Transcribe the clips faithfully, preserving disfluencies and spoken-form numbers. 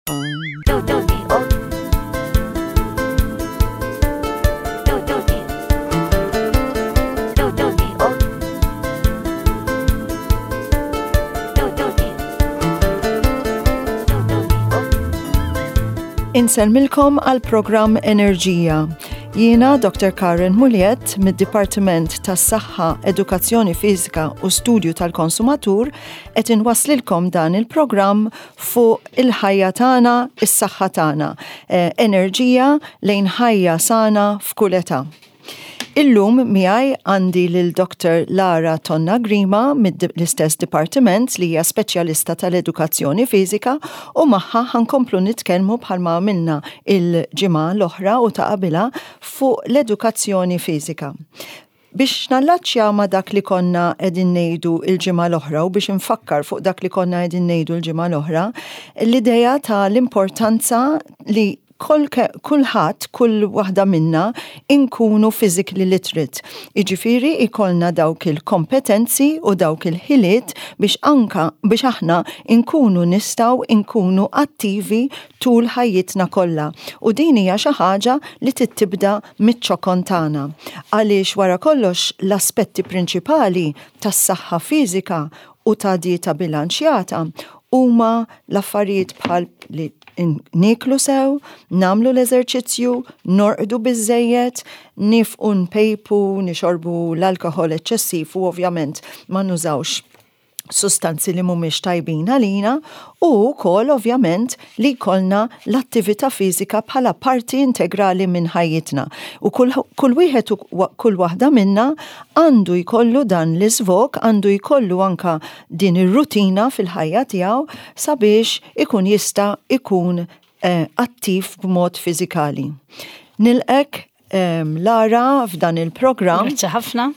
Do do D O Do do D Do do D O Do do D Do do D O Insellmilkom għal programm Enerġija. Jiena Doctor Karen Muliet mid-Dipartiment tas-Saħħa, Edukazzjoni Fiżika u Studju tal-Konsumatur qed inwaslilkom dan il-programm fuq il-ħajja tagħna, is-saħħa tagħna, eh, enerġija lejn ħajja sana f'kull età. Illum miegħi għandi lil Doctor Lara Tonna Grima mill-istess dipartiment li hija speċjalista tal-edukazzjoni fiżika u magħha ħa nkomplu nitkellmu bħalma għamilna il-ġimgħa l-oħra u ta' qabilha fuq l-edukazzjoni fiżika. Biex nallaċċja ma' dak li konna qegħdin ngħidu il-ġimgħa l-oħra u biex nfakkar fuq dak li konna qegħdin ngħidu l-ġimgħa l-oħra, l-idea ta' l-importanza li kulħadd, kull waħda minna inkunu physically literate. Iġifieri ikollna dawk il-kompetenzi u dawk il-ħiliet biex anka biex aħna inkunu nistgħu inkunu attivi tul ħajjitna kollha. U din hija xi ħaġa li tibda miċ-ċokon tagħna. Għaliex wara kollox l-aspetti prinċipali tas-saħħa fiżika u ta' dieta bilanċjata huma l-affarijiet bħal li nieklu sew, nagħmlu l-eżerċizzju, norqdu biżejjed, nieqfu npejpu, nixorbu l-alkohol eċċessiv u ovvjament ma nużawx sustanzi li mhumiex tajbin għalina u wkoll ovvjament li jkollna l-attività fiżika bħala parti integrali minn ħajjitna. U kull, kull wieħed u kull waħda minna għandu jkollu dan l-iżvog, għandu jkollu anka din ir-rutina fil-ħajja tiegħu sabiex ikun jista' ikun eh, attiv b'mod fiżikali. Nilqgħek eh, Lara f'dan il-programm. Grazzi ħafna.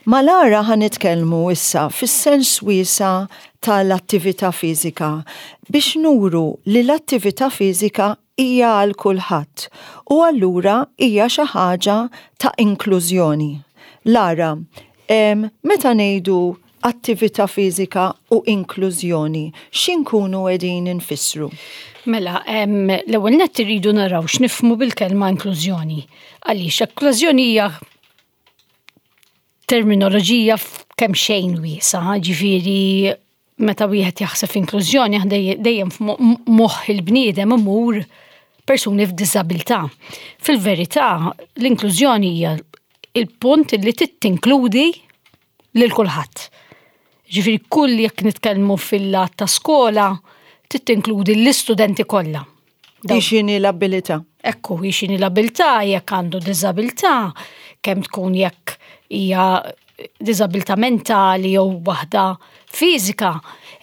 Ma' Lara ħa nitkellmu issa fis-sens wiesa' tal-attività fiżika biex nuru li l-attività fiżika hija għal kulħadd u allura hija xi ħaġa ta' inklużjoni. Lara, em, meta ngħidu attività fiżika u inklużjoni, x'inkunu qegħdin infissru? Mela, em, l-ewwel nett irridu naraw x'nifhmu bil-kelma inklużjoni. Għaliex inklużjoni hija terminoloġija kemm xejn wiesa', ġifieri meta wieħed jaħseb inklużjoni dejjem f'moħħ il-bniedem imur persuni f'diżabilità. Fil-verità, l-inklużjoni hija il-punt li tinkludi lil kulħadd. Ġifieri kull jekk nitkellmu fil-lat ta' skola, tinkludi l-istudenti kollha. Hi x'inhi l-abilità. Ekku, hi x'inhi l-abilità, jekk għandu diżabilità, kemm tkun jekk hija diżabilità mentali jew waħda fiżika.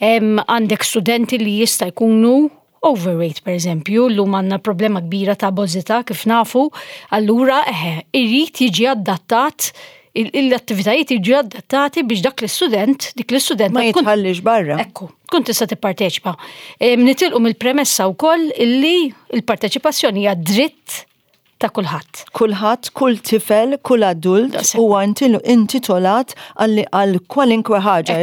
Għandek studenti li jista' jkunu overweight, per eżempju, llum għandna problema kbira ta' obeżità kif nafu, allura eħe, irid jiġi adattat l-attivitajiet jiġu adattati biex dak l-istudent, dik l-istudent ma jitħallix barra. Ekku, tkun tista' tipparteċipa. Nitilqu mill-premessa wkoll illi l-parteċipazzjoni hija dritt ta' kulħadd. Kulħadd, kull tifel, kull adult huwa intitolat għal kwalinkwe ħaġa,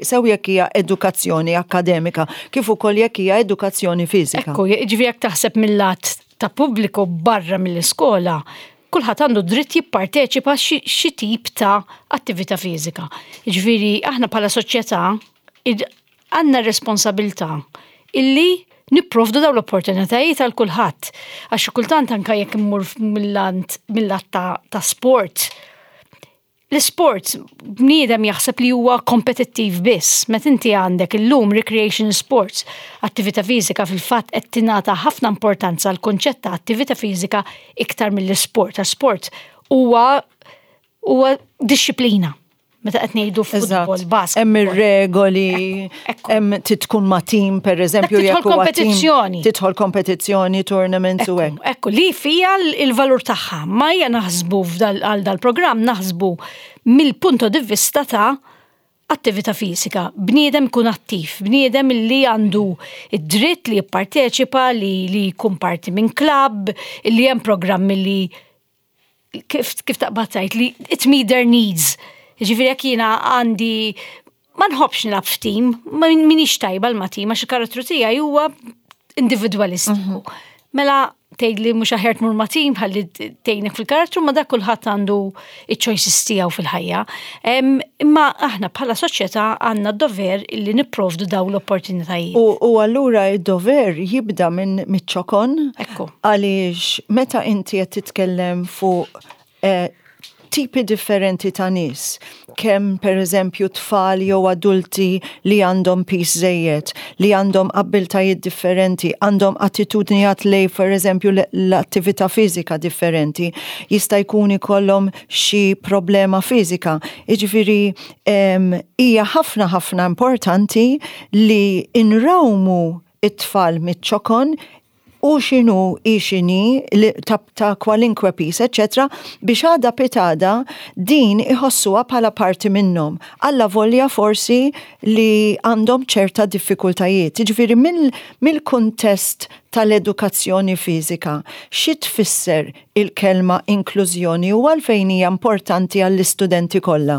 sew jekk hija edukazzjoni akademika, kif ukoll jekk hija edukazzjoni fiżika. Ekku, ġifieri jekk taħseb mill-lat ta' pubbliku barra mill-iskola, kulħadd għandu dritt jipparteċipa xi tip ta' attività fiżika. Ġifieri aħna bħala soċjetà għandna responsabilità illi nipprovdu daw l-opportunitajiet għal kulħadd. Għax kultant anka jekk immur mill-lat ta' sport, l-sport bniedem jaħseb li huwa kompetittiv biss. Meta inti għandek illum recreation sports, attività fiżika, fil-fatt qed tingħata ħafna importanza għal kunċett ta' attività fiżika iktar mill-sport. Sport huwa huwa dixxiplina. Meta qed ngħidu futbol, basket. Hemm ir-regoli, hemm tkun ma' tim, pereżempju, jekk huwa kompetizzjoni. Tidħol kompetizzjoni, tournaments u hekk. Ekku, li fija l-valur tagħha. Ma hija naħsbu għal dal-programm naħsbu mill-punto di vista ta' attività fiżika. Bniedem kun attiv, bniedem li għandu id-dritt li jipparteċipa, li li jkun parti minn klabb, li hemm programmi li kif, kif taqbad tgħid li it meet their needs. Ġifieri jekk jiena għandi ma nħobbx nilgħab f'tim, ma minix tajba l ma tim, għax il-karattru tiegħi huwa individualistiku. Mela tgħid li mhux aħjar tmur ma' tim ħalli tgħinek fil-karattru, ma dak kulħadd għandu iċ-choices tiegħu fil-ħajja. Imma aħna bħala soċjetà għandna d-dover illi nipprovdu daw l-opportunitajiet. U, u allura id-dover jibda minn miċ-ċokon. Ekku. Għaliex meta inti qed titkellem fuq eh, tipi differenti ta' nies, kemm per eżempju tfal jew adulti li għandhom piż żejjed, li għandhom abbiltajiet differenti, għandhom attitudnijiet lej per eżempju l-attività fiżika differenti, jista' jkun ikollhom xi problema fiżika. Jiġifieri hija ħafna ħafna importanti li inrawmu it-tfal miċ-ċokon u x'inhu i x'inhi ta', ta kwalinkwe piż, eccetera, biex għada pitgħada din iħossuha bħala parti minnhom. Alla volja forsi li għandhom ċerta diffikultajiet. Jiġifieri mill-kuntest tal-edukazzjoni fiżika, xi tfisser il-kelma inklużjoni u għalfejn hija importanti għall-istudenti kollha?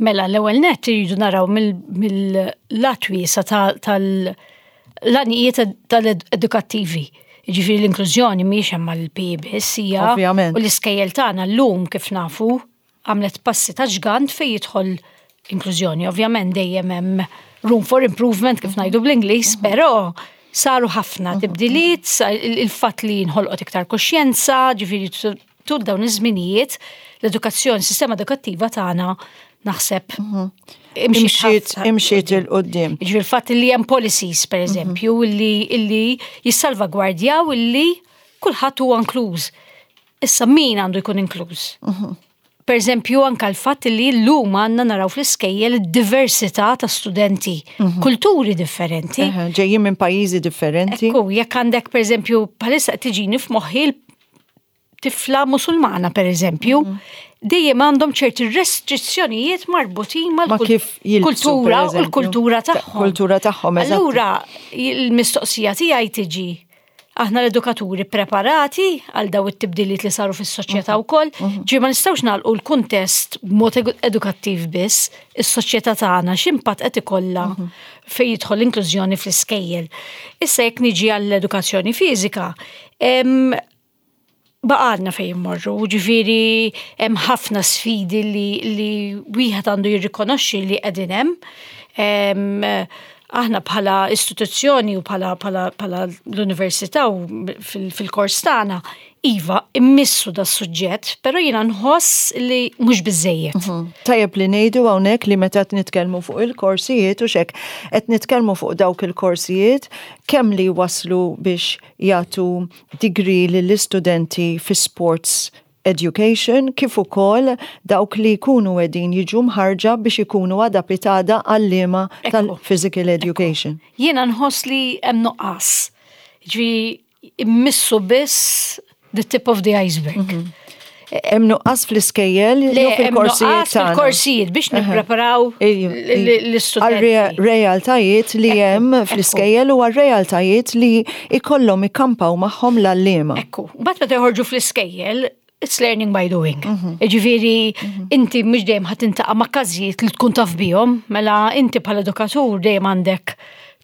Mela, l-ewwel nett iridu naraw mill-lat wiesa' tal-għanijiet tal-edukattivi. Ġifieri l-inklużjoni mhijiex hemm mal-P E biss, hija Ovvjament. U l-iskejjel tagħna llum, kif nafu, għamlet passi ta' ġgant fejn jidħol inklużjoni. Ovvjament dejjem hemm room for improvement, kif ngħidu bl-Ingliż, però saru ħafna tibdiliet, il-fatt li nħolqot iktar kuxjenza, ġifieri tul dawn iż-żminijiet l-edukazzjoni, sistema edukattiva tagħna naħseb imxiet imxiet 'il quddiem. Ġifieri il-fatt li hemm policies, per eżempju, illi illi jissalvagwardjaw illi kulħadd huwa inkluż. Issa min għandu jkun inkluż? Per eżempju, anka l-fatt li llum għandna naraw fl-iskejjel diversità ta' studenti, kulturi differenti. Ġejjin minn pajjiżi differenti. Ekku, jekk għandek, per eżempju, bħalissa tiġini f'moħħi tifla Musulmana, per eżempju, dejjem għandhom ċerti restrizzjonijiet marbutin mal-kultura u l-kultura tagħhom. Kultura tagħhom. Allura, il-mistoqsija tiegħi tiġi: aħna l-edukaturi preparati għal daw it-tibdiliet li saru fis-soċjetà wkoll? Ġi ma nistgħux nagħlqu l-kuntest b'mod edukattiv biss, is-soċjetà tagħna x'impatt qed ikollha fejn jidħol l-inklużjoni fl-iskejjel. Issa jekk niġi għall-edukazzjoni fiżika, baqgħalna fejn immorru, ġifieri hemm ħafna sfidi li, li wieħed għandu jirrikonoxxi li qegħdin hemm. Aħna bħala istituzzjoni u bħala, bħala, bħala l-università u fil-kors tagħna, iva, immissu da suġġett, però jiena nħoss li mhux biżejjed. Mhm. Tajjeb li ngħidu hawnhekk li meta qed nitkellmu fuq il-korsijiet u xek, qed nitkellmu fuq dawk il-korsijiet kemm li waslu biex jagħtu degree lill-istudenti fi sports education, kif ukoll dawk li jkunu qegħdin jiġu mħarġa biex ikunu għada pitgħada għalliema tal-physical education. Jiena nħoss li hemm nuqqas. Ġi immissu biss the tip of the iceberg. Mhm. Hemm nuqqas fl-iskejjel jew fil-korsijiet? Fil-korsijiet biex nippreparaw l-istudenti. Realtajiet li hemm fl-iskejjel u għar-realtajiet li ikollhom ikkampaw magħhom l-għalliema. Ekku, mbagħad meta joħorġu fl-iskejjel, it's learning by doing. Mhm. Ġifieri, inti mhux dejjem ħa tiltaqa' ma' każijiet li tkun taf bihom, mela inti bħala edukatur dejjem għandek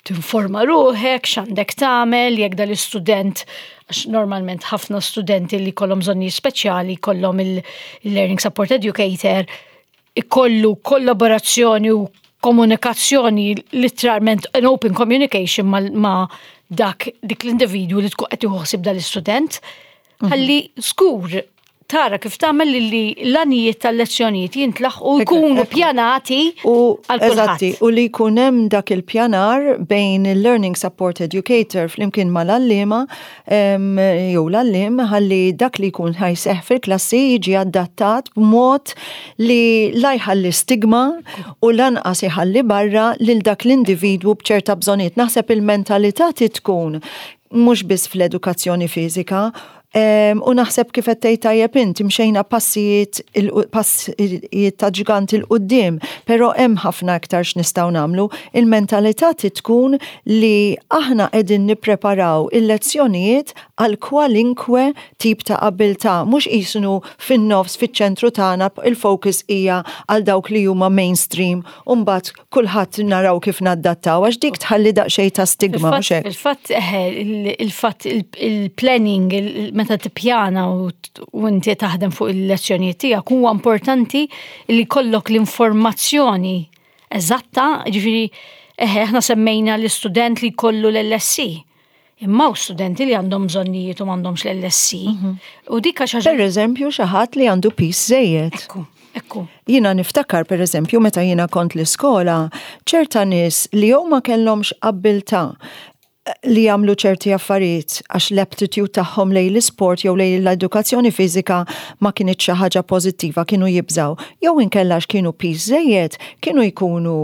tinforma ruħek, x'għandek tagħmel, jekk dal-istudent, għax normalment ħafna studenti li kollhom bżonni speċjali, kollhom il-learning support educator, ikollu kollaborazzjoni u komunikazzjoni, literalment an open communication ma, ma dak dik l-individwu li tkun qed jieħu dal-istudent, mhm. ħalli żgur tara kif tagħmel li l-għanijiet tal-lezzjonijiet jintlaħqu, jkunu pjanati. U eżatti, u li jkun hemm dak il-pjanar bejn il-Learning Support Educator flimkien mal-għalliema jew l-għalliem, ħalli dak li jkun ħa jseħħ fil-klassi jiġi adattat b'mod li la jħalli stigma u lanqas iħalli barra lil dak l-individwu b'ċerta bżonijiet. Naħseb il-mentalità tkun mhux biss fl-edukazzjoni fiżika, U naħseb kif qed tgħid tajjeb int, imxejna passijiet passijiet ta' ġgant 'il quddiem, però hemm ħafna aktar x'nistgħu nagħmlu. Il-mentalità tkun li aħna qegħdin nippreparaw il-lezzjonijiet għal kwalinkwe tip ta' abilta, mhux qisnu fin-nofs, fiċ-ċentru tagħna, il-focus hija għal dawk li huma mainstream u mbagħad kulħadd naraw kif naddattaw, għax dik tħalli daqsxejn ta' stigma, mhux hekk? Il-fatt, il-fatt il-planning, meta tippjana u inti taħdem fuq il-lezzjonijiet tiegħek, huwa importanti li jkollok l-informazzjoni eżatta, ġifieri eħe, aħna semmejna l-istudent li jkollu l-L S E. Imma u studenti li għandhom bżonnijiet u m'għandhomx l-L S E. Mhm. U dik għax Per eżempju, xi ħadd li għandu piż żejjed. Ekku, ekku. Jiena niftakar, per eżempju, meta jiena kont l-iskola, ċerta nies li jew ma kellhomx abbiltà li jagħmlu ċerti affarijiet għax l-aptitude tagħhom lejn l-isport jew lejn l-edukazzjoni fiżika ma kienet xi ħaġa pożittiva, kienu jibżaw. Jew inkella kienu piż żejjed, kienu jkunu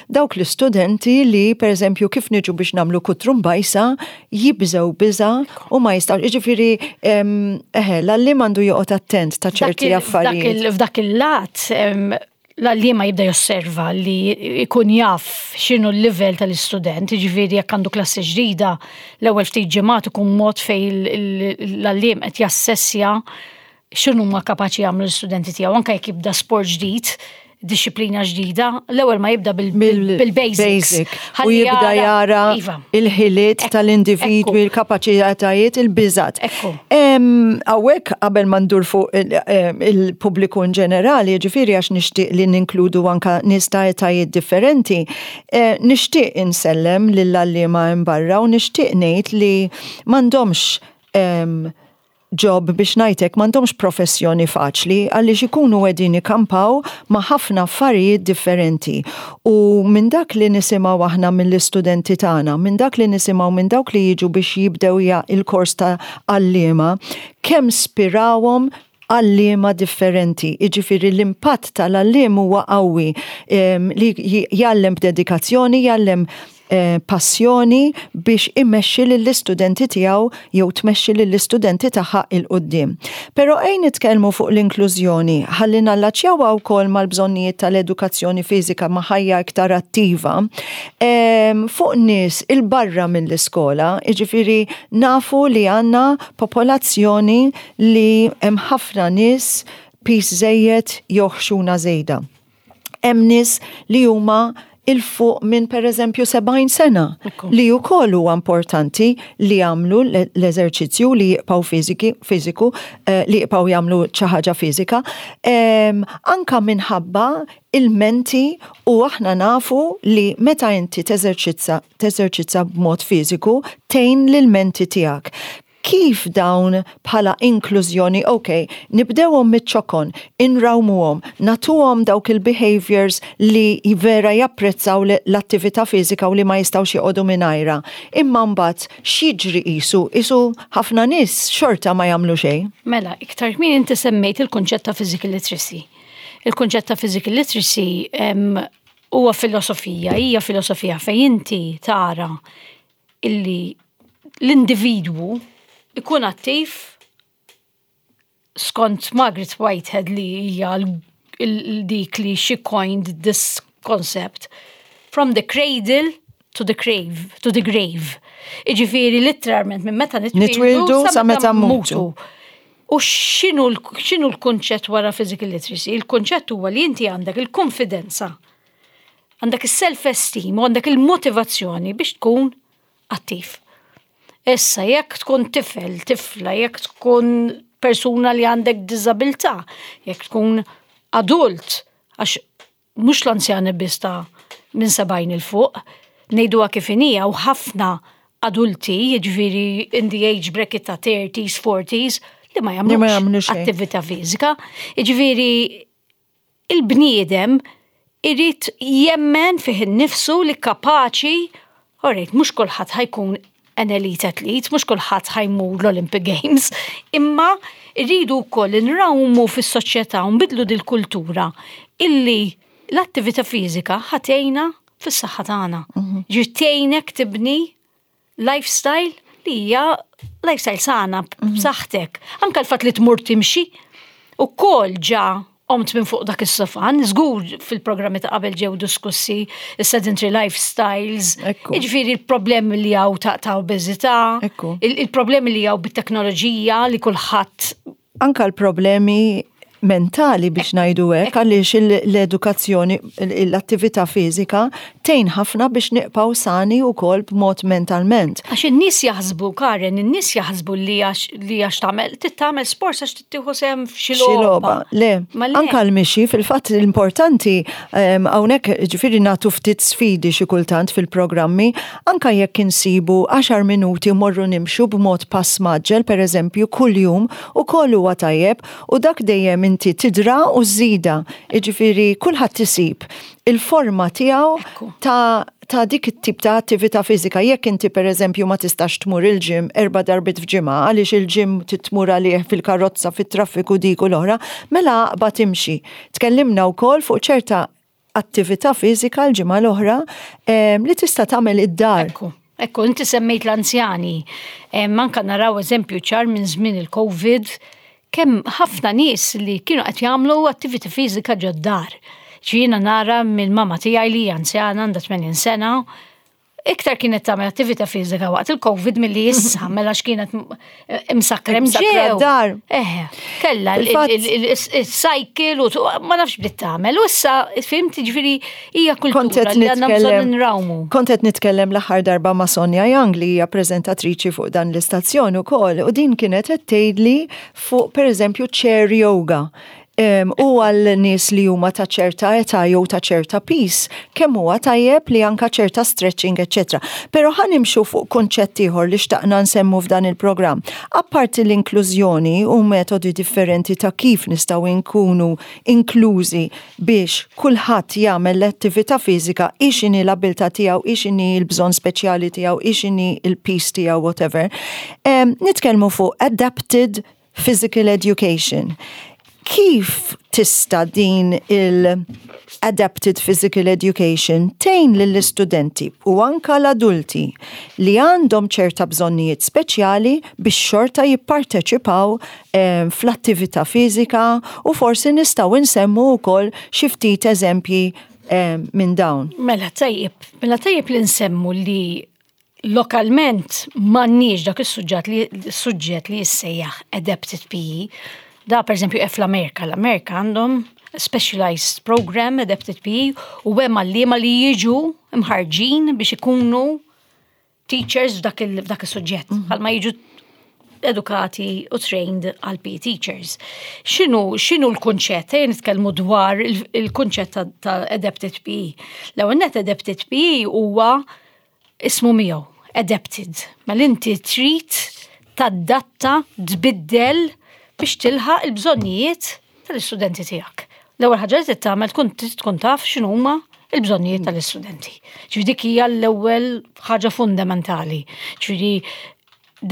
dawk l-istudenti li, pereżempju, kif niġu biex nagħmlu kutrumbajsa, jibżgħu biża u ma jistgħu. Jiġifieri eħe, l-għalliem għandu joqgħod attent ta' ċerti affarijiet. F'dak il-lat l-għalliema jibda josserva li jkun jaf x'inhu l-level tal-istudent, ġifieri jekk għandu klassi ġdida, l-ewwel ftit ġimgħat ikun mod fejn l-għalliem qed jassessja x'inhu ma kapaċi jagħmlu l-istudenti tiegħu, anke jekk jibda sport ġdid, disciplina ġdida, l-ewwel ma jibda bil-basics. U jibda jara iva. il-ħiliet tal-individwi, il-kapaċitajiet, il-biżat. Hawnhekk, qabel ma ndur fuq il-pubbliku in ġenerali, ġifieri għax nixtieq li ninkludu anka nies ta' etajiet differenti, eh, nixtieq insellem lill-għalliema barra u nixtieq ngħid li m'għandhomx job, biex ngħidlek, m'għandhomx professjoni faċli, għaliex ikunu qegħdin ikampaw ma' ħafna affarijiet differenti. U minn dak li nisimgħu aħna mill-istudenti tagħna, minn dak li nisimgħu minn dawk li jiġu biex jibdew il-kors ta' għalliema, kemm spirawhom għalliema differenti. Iġifieri l-impatt tal-għalliem huwa qawwi li jgħallem b'dedikazzjoni, jgħallem eh, passjoni biex imexxi lill-istudenti tiegħu jew tmexxi lill-istudenti tagħha 'il quddiem. Però ejn nitkellmu fuq l-inklużjoni, ħalli nallaċjawha wkoll mal-bżonnijiet tal-edukazzjoni fiżika, ma' ħajja iktar attiva. Fuq nies il-barra mill-iskola, jiġifieri nafu li għandna popolazzjoni li hemm ħafna nies piż żejjed jew ħxuna żejda. Hemm nies li huma 'il fuq minn, per eżempju, sebgħin sena li wkoll huwa importanti li jagħmlu l-eżerċizzju, li jibqgħu fiziki, fiżiku, eh, li jibqgħu jagħmlu xi ħaġa fiżika. Anka minħabba il-menti, u aħna nafu li meta inti teżerċizza teżerċizza b'mod fiżiku tgħin lil-menti tiegħek. Kif dawn bħala inklużjoni, ok, nibdewhom miċ-ċokon, inrawmuhom, nagħtuhom dawk il-behaviors li vera japprezzaw l-attività fiżika u li ma jistgħux joqogħdu mingħajrha. Imma mbagħad x'jiġri? qisu qisu ħafna nies xorta ma jagħmlu xejn? Mela, iktar kmieni inti semmejt il-kunċett ta' physical literacy. Il-kunċett ta' physical literacy huwa filosofija, hija filosofija fejn inti tara illi l-individwu ikun attiv skont Margaret Whitehead, li hija dik li she coined this concept, from the cradle to the grave, to the grave. Iġifieri literalment minn meta nitwildu sa meta mmutu. U x'inhu l-kunċett wara physical literacy? Il-kunċett huwa li inti għandek il-konfidenza, għandek il-self-esteem u għandek il-motivazzjoni biex tkun attiv. Issa, jekk tkun tifel, tifla, jekk tkun persuna li għandek diżabilità, jekk tkun adult, għax mhux l-anzjani biss ta' minn sebgħin 'il fuq, ngħiduha kif inhi, u ħafna adulti, jiġifieri in the age bracket ta' thirties, forties, li ma jagħmlux attività fiżika. Jiġifieri il-bniedem irid jemmen fih innifsu li kapaċi, alright, mhux kulħadd ħa jkun an elite athlete, mhux kulħadd ħa jmur l-Olympic Games, imma rridu wkoll nrawmu fis-soċjetà u nbidlu dil-kultura illi l-attività fiżika ħa tgħinna fis-saħħa tagħna. Mhm. Ġifieri tgħinek tibni lifestyle li hija Lifestyle sana, b'saħħtek. Anka l-fatt li tmur timxi, u kol ġa qomt minn fuq dak is-sofan, żgur fil-programmi ta' qabel ġew diskussi is-sedentary lifestyles, Ekku. jiġifieri il-problemi li hawn ta' ta' obeżità, Ekku. il- il-problemi li hawn bit-teknoloġija li kulħadd Anka l-problemi mentali biex ngħidu hekk, għaliex il- l-edukazzjoni, l-attività fiżika tgħin ħafna biex nibqgħu sani wkoll b'mod mentalment. Għax in-nies jaħsbu, Karen, in-nies jaħsbu li għax li għax tagħmel, tagħmel sport għax tieħu sehem f'xi Xi logħba. Le, Ma le. anka l-mixi, fil-fatt l-importanti, em, hawnhekk ġifieri nagħtu ftit sfidi xi kultant fil-programmi, anka jekk insibu għaxar minuti morru nimxu b'mod pass mgħaġġel, per eżempju, kuljum, u kollu huwa tajjeb, u dak dejjem inti tidra u żida. Ġifieri kulħadd isib il-forma tiegħu Ekku. ta' ta' dik it-tip ta' attività fiżika. Jekk inti per eżempju ma tistax tmur il-gym erba' darbiet f'ġimgħa għaliex il-gym titmur għalih fil-karozza, fit-traffiku, dik u l-oħra, mela aqbad timxi. Tkellimna wkoll fuq ċerta attività fiżika l-ġimgħa l-oħra em, li tista' tagħmel id-dar. Ekku, ekku, inti semmejt l-anzjani. Eh, Manka naraw eżempju ċar minn żmien il-Covid, kemm ħafna nies li kienu qed jagħmlu attività fiżika ġod-dar. Jiena nara minn mama tiegħi li hija anzjana, għandha tmenin sena, iktar kienet tagħmel attività fiżika waqt il-Covid milli issa, mela x'kienet imsakra Imsakkra ġew. d-dar. Eh, kella Fil-fatt- il-cycle u tu- ma nafx bdiet tagħmel. U issa fhimt, ġifieri hija Kont kultura qed li għandna bżonn nitkellem nrawmu. Kont qed nitkellem l-aħħar darba ma' Sonja Young li hija preżentatriċi fuq dan l-istazzjon ukoll u din kienet qed tgħidli fuq pereżempju chair yoga. Um, u għal nies li huma ta' ċerta età jew ta' ċerta piż, kemm huwa tajjeb li anka ċerta stretching, eċċetera. Però ħa nimxu fuq kunċett ieħor li xtaqna nsemmu f'dan il-programm. Apparti l-inklużjoni u metodi differenti ta' kif nistgħu nkunu inklużi biex kulħadd jagħmel l-attività fiżika, x'inhi l-abilità tiegħu, x'inhi l-bżonn speċjali tiegħu, x'inhi l-piż tiegħu, whatever. Um, nitkellmu fuq adapted physical education. Kif tista' din il-adapted physical education tgħin lill-istudenti u anka l-adulti li għandhom ċerta bżonnijiet speċjali biex xorta jipparteċipaw eh, fl-attività fiżika, u forsi nistgħu nsemmu wkoll xi ftit eżempji eh, minn dawn? Mela tajjeb, mela tajjeb li nsemmu li lokalment m'għandniex dak is-suġġett li suġġett li jissejjaħ adapted P E. Da per eżempju fl-Amerika, l-Amerika għandhom specialized program adapted P E u hemm għalliema li jiġu imħarġin biex ikunu teachers f'dak il- f'dak is-suġġett. Bħalma jiġu edukati u trained għal P E teachers. X'inhu, x'inhu l-kunċett? Ejja nitkellmu dwar il- il-kunċett ta', ta' adapted P E. L-ewwel net, adapted P E huwa ismu miegħu, adapted. Mela inti trid tadatta, tbiddel biex tilħaq il-bżonnijiet tal-istudenti tiegħek. L-ewwel ħaġa li trid tagħmel tkun trid tkun taf x'inhuma il-bżonnijiet tal-istudenti. Ġifieri dik hija l-ewwel ħaġa fundamentali. Ġifieri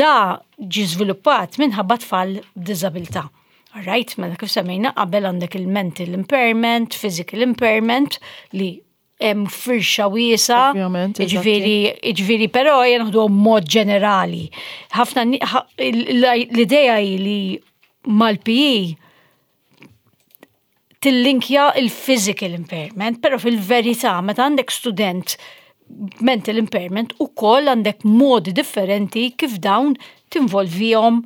da ġi żviluppat minħabba tfal b'diżabilità. Alright, mela kif semmejna qabel għandek il-mental impairment, physical impairment li hemm firxa wiesa. Ovvjament, eżatti. Ġifieri, ġifieri, però jien naħdu mod ġenerali. Ħafna ni- ħa- l-idea hi li mal-P E tillinkja il-physical impairment, però fil-verità meta għandek student mental impairment u koll għandek modi differenti kif dawn tinvolvihom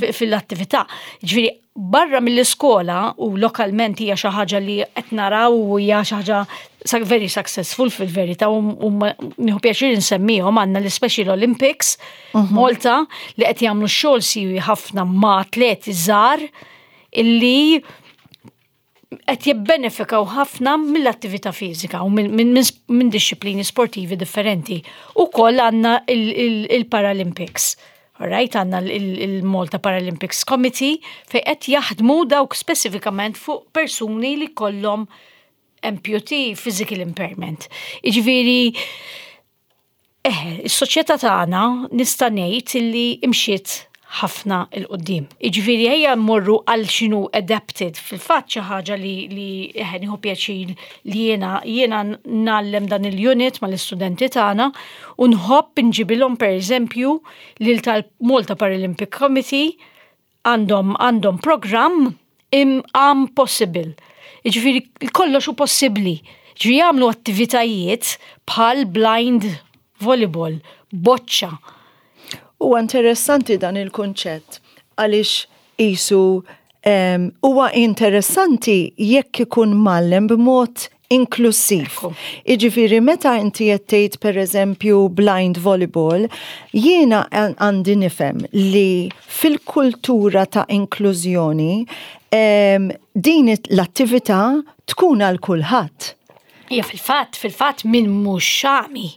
fi- fil-attività. Ġifieri, barra mill-iskola u lokalment hija xi ħaġa li qed naraw u hija xi ħaġa sa- very successful fil-verità u u ma- nieħu pjaċir insemmihom, għandna l-Special Olympics Malta li qed jagħmlu xogħol siwi ħafna ma' atleti żgħar illi qed jibbenefikaw ħafna mill-attività fiżika u minn min, min, min disċiplini sportivi differenti. U koll għandna il-Paralympics. Alright, għandna il-Malta Paralympics Committee fej qed jaħdmu dawk speċifikament fuq persuni li kollhom amputee, physical impairment. Iġifieri, eh, is-soċjetà tagħna nista' ngħid illi imxiet Ħafna 'l quddiem. Iġifieri ejja mmorru għal x'inhu adapted. Fil-fatt xi ħaġa li li eħe nieħu pjaċir li jiena jiena ngħallem dan il-unit mal-istudenti tagħna u nħobb inġibilhom, pereżempju, lil tal-Malta Paralympic Committee. għandhom għandhom programm Impossible. Iġifieri kollox hu possibbli. Ġifieri jagħmlu attivitajiet bħal blind volleyball, boċċa. Huwa interessanti dan il-kunċett għaliex isu huwa interessanti jekk ikun mgħallem b'mod inklusiv. Iġifieri meta inti qed tgħid, pereżempju, blind volleyball, jiena għandi nifhem li fil-kultura ta' inklużjoni din l-attività tkun għal kulħadd. Ija, fil-fatt, fil-fatt min mhux għami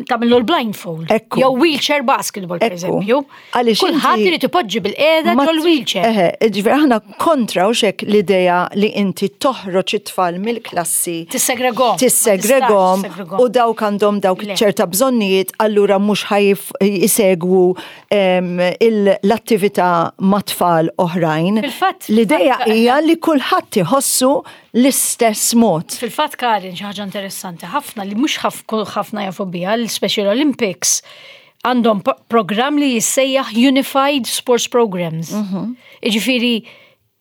tagħmillu l-blindfold. Ekku. Jew wheelchair basketball, per eżempju. Għaliex Kulħadd inti- irid ipoġġi bil-qiegħda Ma- ġol-wheelchair. Eħe, ġifieri aħna kontra u xek l-ideja li inti toħroġ it-tfal mill-klassi. Tissegregom. Tissegregom Ma tistax tissegregom. u dawk għandhom dawk Le. ċerta bżonnijiet, allura mhux ħa jsegwu em, il- l-attività ma' tfal oħrajn. Fil-fatt- L-ideja fatt- hija li kulħadd iħossu l-istess mod. Fil-fatt, Karin, xi ħaġa interessanti ħafna li mhux ħafna jafu biha, l-Special Olympics għandhom po- programm li jissejjaħ Unified Sports Programs. Iġifieri,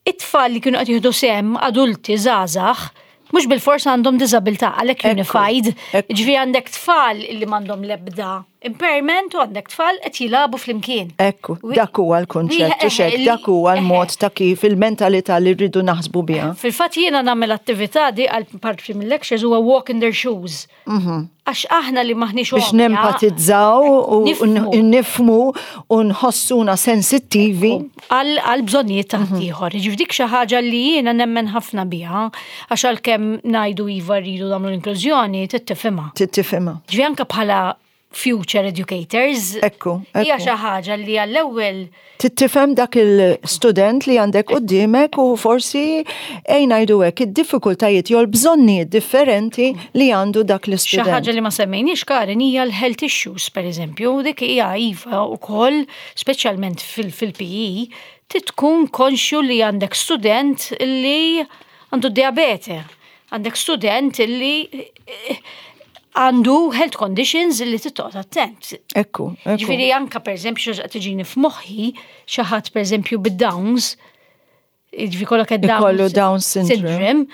it-tfal li kienu qed jieħdu sehem, adulti, żgħażagħ, mhux bil-fors għandhom diżabilità, għalhekk Ekku, unified. Ekku. Iġifieri għandek tfal li m'għandhom l-ebda impairment u għandek tfal qed jilagħbu flimkien. Ekku, Wi- dak huwa l-kunċett, wi- u xek, li- dak huwa l-mod ta' kif il-mentalità li rridu naħsbu biha. Fil-fatt jiena nagħmel attività di għal parti mill-lectures, huwa walk in their shoes. Għax aħna li maħniex Biex għomja, nempatizzaw u Nifhmu. nifhmu u nħossuna sensittivi. għal għal bżonnijiet ta' ieħor. Ġifieri dik xi ħaġa li jiena nemmen ħafna biha, għax għalkemm ngħidu iva rridu nagħmlu l-inklużjoni, tittifhimha. Tittifhimha. Ġifieri anke bħala future educators, Ekku, hija ekku. xi ħaġa li għall-ewwel Tittifhem dak il-student li għandek qudiemek u forsi ejja ngħidu hekk id-diffikultajiet jew l-bżonnijiet differenti li għandu dak Xi l-istudent. ħaġa li ma semmejniex, Karin, hija l-health issues, per eżempju, dik hija iva wkoll, speċjalment fil-P E, tkun konxju li għandek student li għandu diabete, għandek student li eh, għandu health conditions li trid toqgħod attent. Ekku, ekku. Ġifieri anka, per eżempju, xi tiġini f'moħħi, xi ħadd, per eżempju, bid-Downs, ġifieri kollok Downs Ikollu Down syndrome.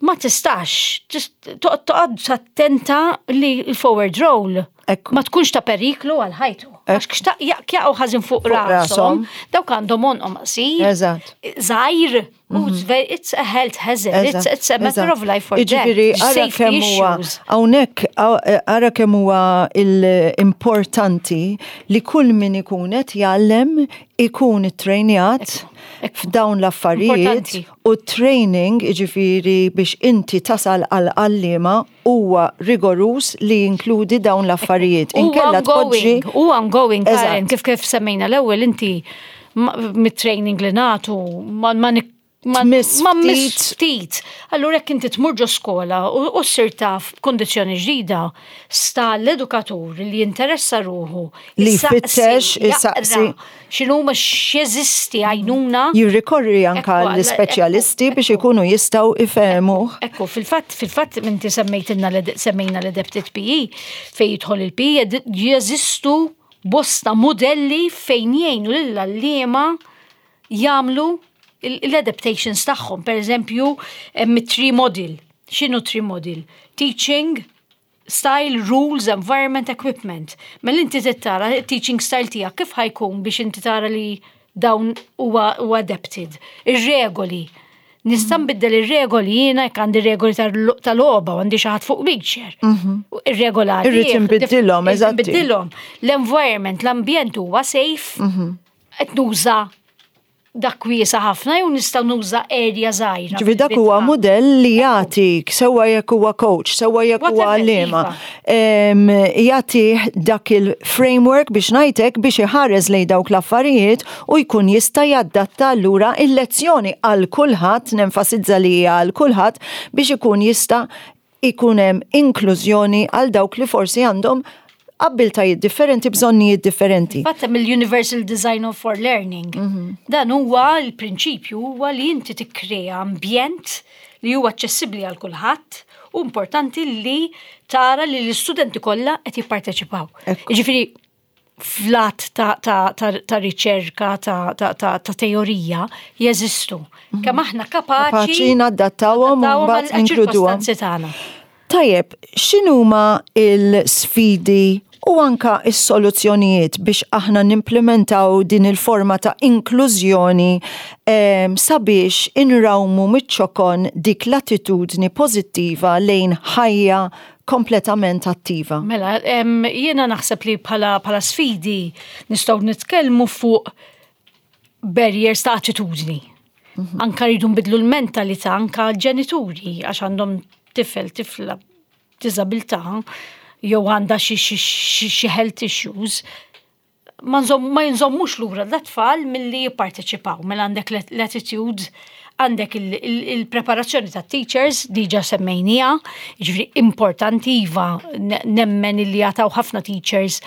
Ma tistax, tis- toqgħod toqgħod attenta li l-forward roll Ekku. ma tkunx ta' periklu għal ħajtu. Għax xtaq jaqgħu ħażin fuq Fuq rashom, rashom. dawk għandhom għonqhom qasir, Eżatt. żgħir, u it's very- it's a health hazard, it's, it's a matter of life or death. Iġifieri, ara Safety kemm huwa issues. hawnhekk ara kemm huwa l-importanti li kull min ikun qed jgħallem ikun ittrejnjat Ekku. f'dawn l-affarijiet Importanti. u training, iġifieri biex inti tasal għal għalliema huwa rigorus li jinkludi dawn l-affarijiet. U Inkella tpoġġi ongoing, u ongoing, Karen, Eżatt. kif kif semmejna l-ewwel inti ma- mit-training li nagħtu ma ma nik- ma Tmiss ma miss ftit. ftit. Allura jekk inti tmur ġo skola u u ssir taf b'kondizzjoni ġdida, sta l-edukatur li jinteressa ruħu Li jissaqsi, jfittex, jaqra jissaqsi. x'inhuma, x'jeżisti għajnuna. Jirrikorri anka Ekku, l-ispeċjalisti ekku, biex ekku. ikunu jistgħu ifehmuh. Ekku, fil-fatt, fil-fatt, inti semmejtilna l- semmejna l-adapted P E, fej jidħol il-P E, jeżistu bosta modelli fejn jgħinu lill-għalliema jagħmlu l-adaptations tagħhom. Per eżempju, hemm tree model. X'inhu tree model? Teaching style, rules, environment, equipment. Mela inti tara teaching style tiegħek kif ħa jkun biex inti tara li dawn huwa huwa adapted. Ir-regoli. Nista' nbiddel ir-regoli jiena jekk għandi regoli tal- tal-logħba u għandi xi ħadd fuq wheelchair. Ir-regola Irrid inbiddilhom, Irrid eżatti. inbiddilhom. L-environment, l-ambjent huwa safe. Qed nuża dak wiesa ħafna jew nista' nuża area żgħira. Ġifieri dak huwa modell li jagħtik, sewwa jekk huwa coach, sewwa jekk huwa Whatever, għalliema. iva. Em, Jagħti dak il-framework biex ngħidlek biex iħares lejn dawk l-affarijiet u jkun jista' jaddatta allura il-lezzjoni għal kulħadd, nenfasizza li hija għal kulħadd, biex ikun jista' ikun hemm inklużjoni għal dawk li forsi għandhom Abbiltajiet differenti, bżonnijiet differenti. Fatta mill-Universal Design of for Learning. Mhm. Dan huwa l-prinċipju huwa li inti tikkrea ambjent li huwa aċċessibbli għal kulħadd u importanti li tara li l-istudenti kollha qed jipparteċipaw. Ekku. Jiġifieri flat ta', ta, ta, ta' riċerka, ta', ta, ta, ta' teorija jeżistu. Kemm aħna kapaċi Kapaċi nadattawhom u nadattawhom mbagħad għal ninkluduhom. ċirkostanzi tagħna. Tajjeb, x'inhuma il-sfidi u anka is-soluzzjonijiet biex aħna nimplementaw din il-forma ta' inklużjoni em, sabiex inrawmu miċ-ċokon dik l-attitudni pożittiva lejn ħajja kompletament attiva? Mela, em, jiena naħseb li bħala, bħala sfidi nistgħu nitkellmu fuq barriers ta' attitudni. Anka rridu nbidlu l-mentalità anka l-ġenituri għax għandhom tifel, tifla b'diżabilità jew għandha xi xi- xi xi health issues ma nżomm- ma jinżommux lura l-tfal milli jipparteċipaw. Mela għandek l-attitude, għandek il- il- il-preparazzjoni ta' teachers, diġa semmejnija, ġifieri importanti iva ne- nemmen illi jataw ħafna teachers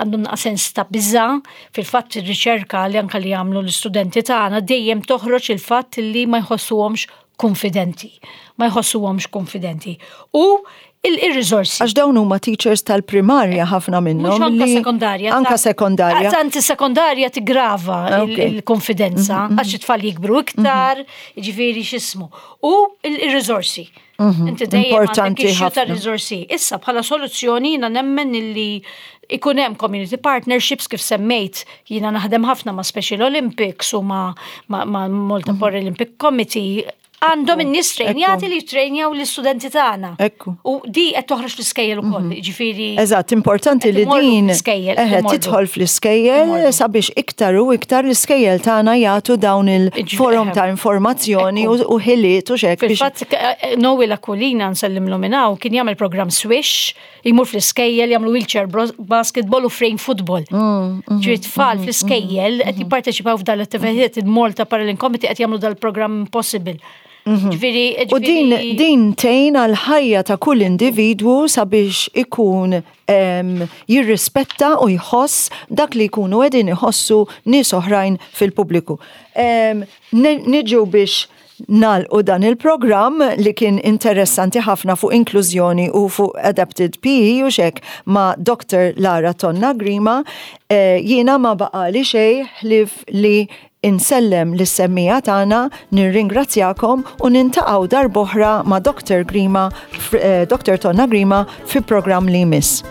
għandhom naqa sens ta' biża, fil-fatt ir-riċerka li anka li jagħmlu l-istudenti tagħna dejjem toħroġ il-fatt li ma jħossuhomx konfidenti. Ma jħossuhomx konfidenti. U il-riżorsi. Għax dawn huma teachers tal-primarja ħafna minnhom. Mhux anka li- sekondarja. Anka ta' sekondarja. Tanti sekondarja tigrava Ah, il- ok. il-konfidenza, għax it-tfal jikbru iktar, ġifieri x'ismu. U il-riżorsi. Inti dejjem għandek Importanti issue ta' ħafna. riżorsi. Issa bħala soluzzjoni jiena nemmen illi ikun hemm community partnerships kif semmejt, jiena naħdem ħafna ma' Special Olympics u ma' ma' ma' Malta Paralympic Committee għandhom in-nies trejnjati li jtrejnjaw l-istudenti tagħna. Ekku. U di qed toħroġ fl-iskejjel ukoll, ġifieri. Eżatt, importanti Qed li imorru din fl-iskejjel, qed eħe, imorru. tidħol fl-iskejjel Imorru. sabiex iktar u iktar l-iskejjel tagħna jagħtu dawn il-forum Eħe. ta' informazzjoni u Ekku. u ħiliet u xek biex Fil-fatt, eh, Noel Aquilina nsellimlu minn hawn kien jagħmel program Swish, jmur fl-iskejjel jagħmlu wheelchair bros- basketball u frame football. Mm, Ġifieri tfal fl-iskejjel qed jipparteċipaw f'dan l-attivitajiet il-Malta Paralympic Committee qed jagħmlu dal-programm Possible. Ġifieri U din, ġifieri- din tgħin għal ħajja ta' kull individwu sabiex ikun em, jirrispetta u jħoss dak li jkunu qegħdin iħossu nies oħrajn fil-pubbliku. Em, ne- Niġu biex nagħlqu dan il-programm li kien interessanti ħafna fuq inklużjoni u fuq Adapted P E u xek ma' Doctor Lara Tonna Grima, eh, jiena ma baqali xej ħlief li insellem lis-semmiegħa tagħna, nirringrazzjakom u niltaqgħu darb'oħra ma' Doctor Grima, eh, Doctor Tonna Grima fi programm li jmiss.